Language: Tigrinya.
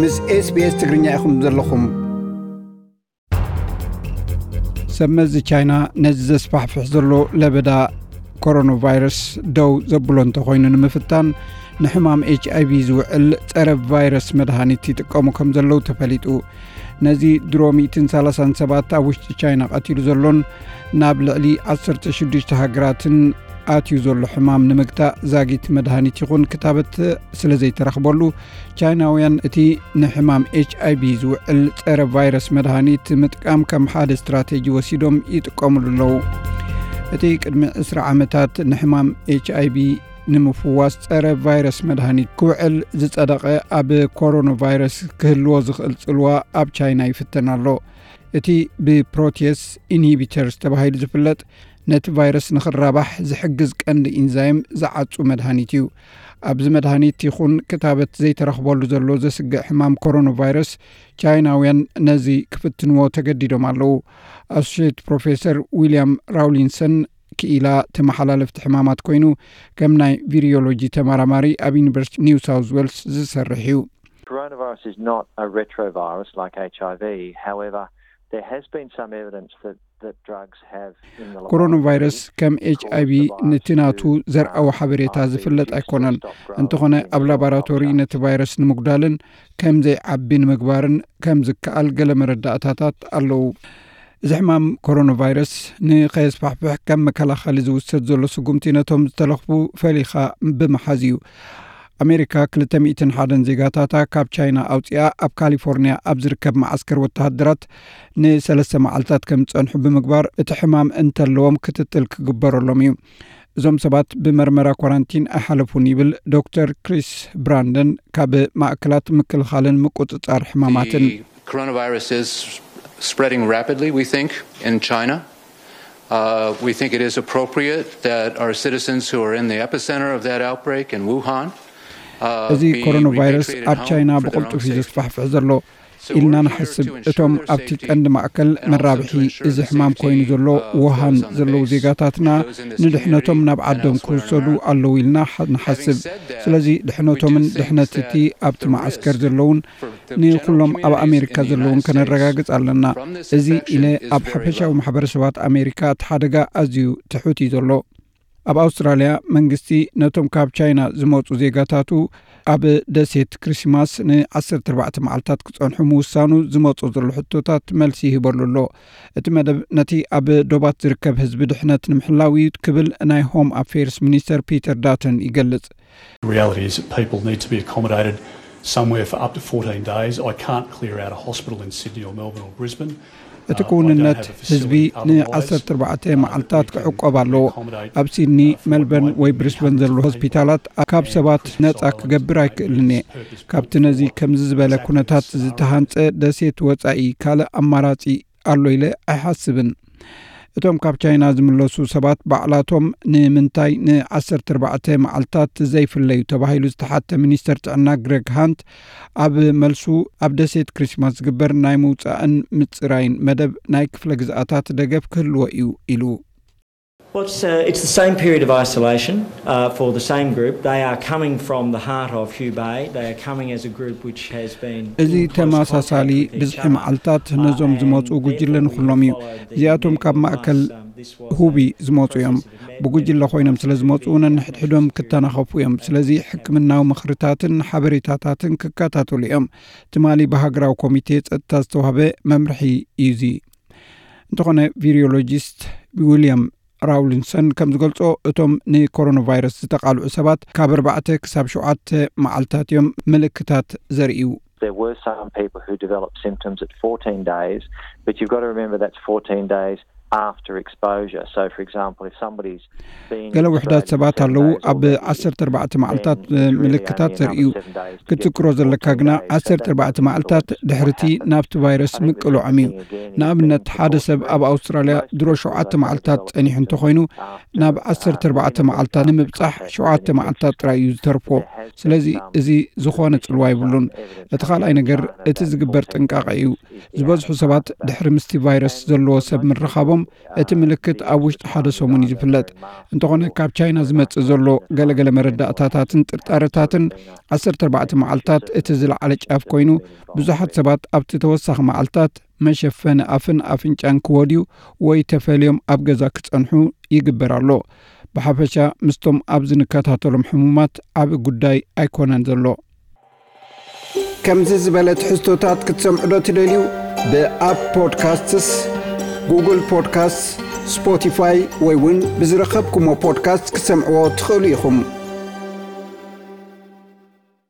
ምስ SBS ትግርኛ ኢኹም ዘለኹም። ሰብ መዚ ቻይና ነዚ ዘስፋሕፍሕ ዘሎ ለበዳ ኮሮና ቫይረስ ደው ዘብሎ እንተኾይኑ ንምፍታን፣ ንሕማም ኤች ኣይ ቪ ዝውዕል ጸረ ቫይረስ መድሃኒት ይጥቀሙ ከም ዘለዉ ተፈሊጡ። ነዚ ድሮ ሚእትን ሰላሳን ሰባት ኣብ ውሽጢ ቻይና ቀቲሉ ዘሎን ናብ ልዕሊ ዓሰርተ ሽዱሽተ ሃገራትን ኣትዩ ዘሎ ሕማም ንምግታእ ዛጊት መድሃኒት ይኹን ክታበት ስለ ዘይተረኽበሉ፣ ቻይናውያን እቲ ንሕማም ኤች ኣይ ቪ ዝውዕል ጸረ ቫይረስ መድሃኒት ምጥቃም ከም ሓደ ስትራቴጂ ወሲዶም ይጥቀሙሉ ኣለዉ። እቲ ቅድሚ ዕስራ ዓመታት ንሕማም ኤች ኣይ ቪ ንምፍዋስ ጸረ ቫይረስ መድሃኒት ክውዕል ዝጸደቐ ኣብ ኮሮና ቫይረስ ክህልዎ ዝኽእል ጽልዋ ኣብ ቻይና ይፍተን ኣሎ። እቲ ብፕሮቴስ ኢንሂቢተርስ ተባሂሉ ዝፍለጥ ነቲ ቫይረስ ንኽራባሕ ዝሕግዝ ቀንዲ ኢንዛይም ዝዓጹ መድሃኒት እዩ። ኣብዚ መድሃኒት ይኹን ክታበት ዘይተረኽበሉ ዘሎ ዘስግእ ሕማም ኮሮና ቫይረስ፣ ቻይናውያን ነዚ ክፍትንዎ ተገዲዶም ኣለዉ። ኣሶሼት ፕሮፌሰር ዊልያም ራውሊንሰን ክኢላ ተመሓላለፍቲ ሕማማት ኮይኑ፣ ከም ናይ ቪሪዮሎጂ ተመራማሪ ኣብ ዩኒቨርሲቲ ኒው ሳውዝ ዌልስ ዝሰርሕ እዩ። Coronavirus is not a retrovirus like H I V. However, there has been some evidence that, that drugs have in the ኮሮና ቫይረስ ከም ኤች ኣይ ቪ ነቲ ናቱ ዘርኣዊ ሓበሬታ ዝፍለጥ ኣይኮነን። እንተኾነ ኣብ ላቦራቶሪ ነቲ ቫይረስ ንምጉዳልን ከም ዘይዓቢ ንምግባርን ከም ዝከኣል ገለ መረዳእታታት ኣለዉ። እዚ ሕማም ኮሮና ቫይረስ ንኸየስፋሕፍሕ ከም መከላኸሊ ዝውሰድ ዘሎ ስጉምቲ ነቶም ዝተለኽፉ ፈሊኻ ብምሓዝ እዩ። ኣሜሪካ ክልተ ሚእትን ሓደን ዜጋታታ ካብ ቻይና ኣውፂኣ ኣብ ካሊፎርኒያ ኣብ ዝርከብ መዓስከር ወተሃደራት ንሰለስተ መዓልታት ከም ዝፀንሑ ብምግባር፣ እቲ ሕማም እንተለዎም ክትትል ክግበረሎም እዩ። እዞም ሰባት ብመርመራ ኳራንቲን ኣይሓለፉን ይብል ዶክተር ክሪስ ብራንደን ካብ ማእከላት ምክልኻልን ምቁፅፃር ሕማማትን። The coronavirus is spreading rapidly, we think, in China. Uh, we think it is appropriate that our citizens who are in the epicenter of that outbreak in Wuhan, uh, እዚ be ኮሮና ቫይረስ repatriated ኣብ home ቻይና for their ብቕልጡፍ own እዩ safety. ዘስፋሕፍሕ ዘሎ ኢልና ንሓስብ። እቶም ኣብቲ ቀንዲ ማእከል መራብሒ እዚ ሕማም ኮይኑ ዘሎ ውሃን ዘለዉ ዜጋታትና ንድሕነቶም ናብ ዓዶም ክውሰዱ ኣለዉ ኢልና ንሓስብ። ስለዚ ድሕነቶምን ድሕነት እቲ ኣብቲ መዓስከር ዘለውን ንኹሎም ኣብ ኣሜሪካ ዘለውን ከነረጋግጽ ኣለና። እዚ ኢለ ኣብ ሓፈሻዊ ማሕበረሰባት ኣሜሪካ እቲ ሓደጋ ኣዝዩ ትሑት እዩ ዘሎ። ኣብ ኣውስትራልያ መንግስቲ ነቶም ካብ ቻይና ዝመጹ ዜጋታቱ ኣብ ደሴት ክሪስማስ ን ዓሰርተ ኣርባዕተ መዓልታት ክጸንሑ ምውሳኑ ዝመጾ ዘሎ ሕቶታት መልሲ ይህበሉ ኣሎ። እቲ መደብ ነቲ ኣብ ዶባት ዝርከብ ህዝቢ ድሕነት ንምሕላው እዩ ክብል ናይ ሆም ኣፌርስ ሚኒስተር ፒተር ዳተን ይገልጽ። The reality is that people need to be accommodated somewhere for up to fourteen days. I can't clear out a hospital in Sydney or Melbourne or Brisbane. እቲ ክውንነት ህዝቢ ንዓሰርተ ኣርባዕተ መዓልታት ክዕቆብ ኣለዎ። ኣብ ሲድኒ፣ መልበርን ወይ ብሪስበን ዘሎ ሆስፒታላት ካብ ሰባት ነጻ ክገብር ኣይክእልን እየ። ካብቲ ነዚ ከምዚ ዝበለ ኩነታት ዝተሃንጸ ደሴት ወጻኢ ካልእ ኣማራጺ ኣሎ ኢለ ኣይሓስብን። እቶም ካብ ቻይና ዝምለሱ ሰባት ባዕላቶም ንምንታይ ን ዓሰርተ ኣርባዕተ መዓልታት ዘይፍለዩ ተባሂሉ ዝተሓተ ሚኒስተር ጥዕና ግረግ ሃንት ኣብ መልሱ፣ ኣብ ደሴት ክሪስማስ ዝግበር ናይ ምውጻእን ምጽራይን መደብ ናይ ክፍለ ግዝኣታት ደገፍ ክህልዎ እዩ ኢሉ። Well, it's, uh, it's the same period of isolation uh, for the same group. They are coming from the heart of Hubei. They are coming as a group which has been እዚ in close ተመሳሳሊ contact with each ብዝሒ other. መዓልታት ነዞም ዝመፁ ጉጅለ ንኩሎም እዩ። እዚኣቶም ካብ ማእከል ሁቢ ዝመፁ እዮም። ብጉጅለ ኮይኖም ስለ ዝመፁ ነንሕድሕዶም ክተናኸፉ እዮም። ስለዚ ሕክምናዊ ምኽርታትን ሓበሬታታትን ክከታተሉ እዮም። ትማሊ ብሃገራዊ ኮሚቴ ጸጥታ ዝተዋህበ መምርሒ እዩ እዚ። እንተኾነ ቪሪዮሎጂስት ዊልያም ራውሊንሰን ከም ዝገልጾ፣ እቶም ንኮሮና ቫይረስ ዝተቓልዑ ሰባት ካብ ኣርባዕተ ክሳብ ሸውዓተ መዓልታት እዮም ምልክታት ዘርእዩ። There were some people who developed symptoms at fourteen days, but you've got to remember that's fourteen days after exposure. So, for example, if somebody's been ገለ ውሕዳት ሰባት ኣለዉ ኣብ ዓሰርተ ኣርባዕተ መዓልታት ምልክታት ዘርእዩ። ክትዝክሮ ዘለካ ግና ዓሰርተ ኣርባዕተ መዓልታት ድሕርቲ ናብቲ ቫይረስ ምቅልዖም እዩ። ንኣብነት ሓደ ሰብ ኣብ ኣውስትራልያ ድሮ ሸውዓተ መዓልታት ጸኒሑ እንተኾይኑ ናብ ዓሰርተ ኣርባዕተ መዓልታት ንምብጻሕ ሸውዓተ መዓልታት ጥራይ እዩ ዝተርፎ። ስለዚ እዚ ዝኾነ ጽልዋ የብሉን። እቲ ካልኣይ ነገር እቲ ዝግበር ጥንቃቐ እዩ። ዝበዝሑ ሰባት ድሕሪ ምስቲ ቫይረስ ዘለዎ ሰብ ምርኻቦም እቲ ምልክት ኣብ ውሽጢ ሓደ ሰሙን እዩ ዝፍለጥ። እንተኾነ፣ ካብ ቻይና ዝመጽእ ዘሎ ገለገለ መረዳእታታትን ጥርጣረታትን ዓሰርተ ኣርባዕተ መዓልታት እቲ ዝለዓለ ጫፍ ኮይኑ፣ ብዙሓት ሰባት ኣብቲ ተወሳኺ መዓልታት መሸፈኒ ኣፍን ኣፍንጫን ክወድዩ ወይ ተፈልዮም ኣብ ገዛ ክጸንሑ ይግበር ኣሎ። ብሓፈሻ፣ ምስቶም ኣብዚ ንከታተሎም ሕሙማት ዓቢ ጉዳይ ኣይኮነን ዘሎ። ከምዚ ዝበለ ትሕዝቶታት ክትሰምዑ ዶ ትደልዩ? ብኣፕ ፖድካስትስ፣ ጉግል ፖድካስት፣ ስፖቲፋይ ወይ እውን ብዝረኸብኩሞ ፖድካስት ክትሰምዕዎ ትኽእሉ ኢኹም።